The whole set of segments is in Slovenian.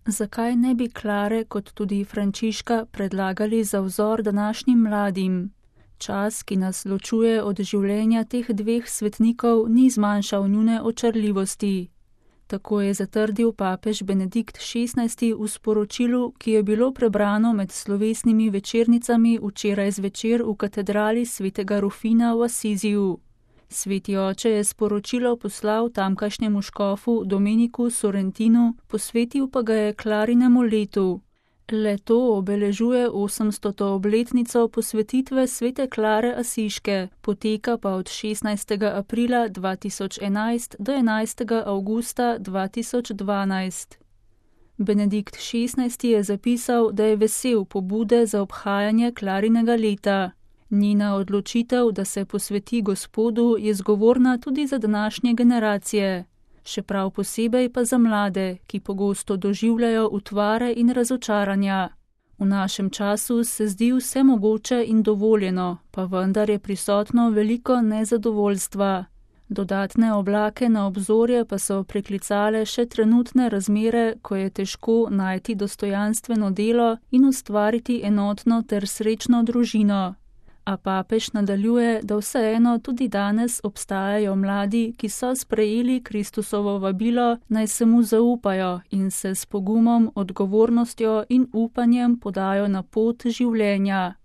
Zakaj ne bi Klare kot tudi Frančiška predlagali za vzor današnjim mladim? Čas, ki nas ločuje od življenja teh dveh svetnikov, ni zmanjšal njune očarljivosti. Tako je zatrdil papež Benedikt XVI v sporočilu, ki je bilo prebrano med slovesnimi večernicami včeraj zvečer v katedrali svetega Rufina v Asiziju. Sveti oče je sporočilo poslal tamkajšnjemu škofu Domeniku Sorrentinu, posvetil pa ga je Klarinemu letu. Leto obeležuje 800. obletnico posvetitve svete Klare Asiške, poteka pa od 16. aprila 2011 do 11. avgusta 2012. Benedikt XVI je zapisal, da je vesel pobude za obhajanje Klarinega leta. Njena odločitev, da se posveti Gospodu, je zgovorna tudi za današnje generacije. Še prav posebej pa za mlade, ki pogosto doživljajo utvare in razočaranja. V našem času se zdi vse mogoče in dovoljeno, pa vendar je prisotno veliko nezadovoljstva. Dodatne oblake na obzorje pa so priklicale še trenutne razmere, ko je težko najti dostojanstveno delo in ustvariti enotno ter srečno družino. A papež nadaljuje, da vseeno tudi danes obstajajo mladi, ki so sprejeli Kristusovo vabilo, naj se mu zaupajo in se s pogumom, odgovornostjo in upanjem podajo na pot življenja.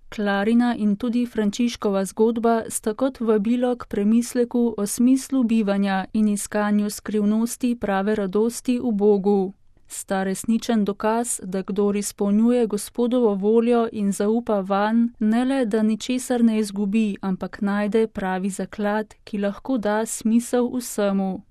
Klarina in tudi Frančiškova zgodba sta kot vabilo k premisleku o smislu bivanja in iskanju skrivnosti prave radosti v Bogu. Sta resničen dokaz, da kdor izpolnjuje Gospodovo voljo in zaupa vanj, ne le, da ničesar ne izgubi, ampak najde pravi zaklad, ki lahko da smisel vsemu.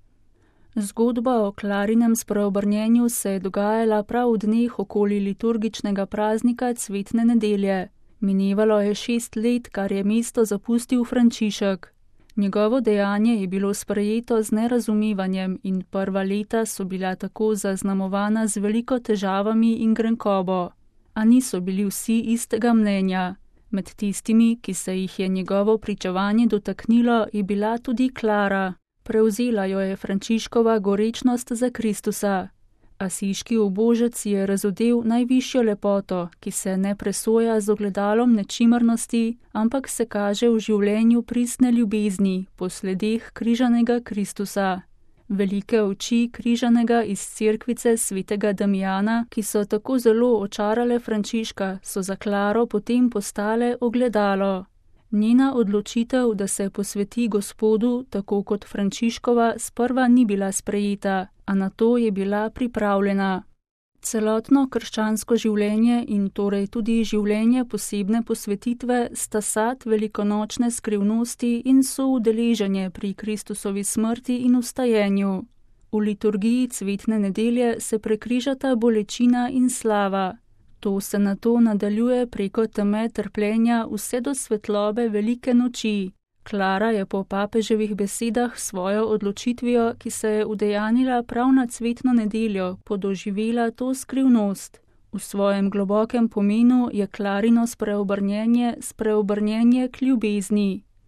Zgodba o Klarinem spreobrnjenju se je dogajala prav v dneh okoli liturgičnega praznika Cvetne nedelje. Minevalo je 6 let, kar je mesto zapustil Frančišek. Njegovo dejanje je bilo sprejeto z nerazumevanjem in prva leta so bila tako zaznamovana z veliko težavami in grenkobo. A niso bili vsi istega mnenja. Med tistimi, ki se jih je njegovo pričevanje dotaknilo, je bila tudi Klara. Prevzela jo je Frančiškova gorečnost za Kristusa. Asiški ubožec je razodel najvišjo lepoto, ki se ne presoja z ogledalom nečimrnosti, ampak se kaže v življenju pristne ljubezni, po sledeh križanega Kristusa. Velike oči križanega iz cerkvice svetega Damijana, ki so tako zelo očarale Frančiška, so za Klaro potem postale ogledalo. Njena odločitev, da se posveti Gospodu, tako kot Frančiškova, sprva ni bila sprejeta, a na to je bila pripravljena. Celotno krščansko življenje in torej tudi življenje posebne posvetitve sta sad velikonočne skrivnosti in soudeleženje pri Kristusovi smrti in vstajenju. V liturgiji Cvetne nedelje se prekrižata bolečina in slava. To se nato nadaljuje preko teme trpljenja vse do svetlobe velike noči. Klara je po papeževih besedah svojo odločitvijo, ki se je udejanila prav na Cvetno nedeljo, podoživela to skrivnost. V svojem globokem pomenu je Klarino spreobrnjenje k ljubezni.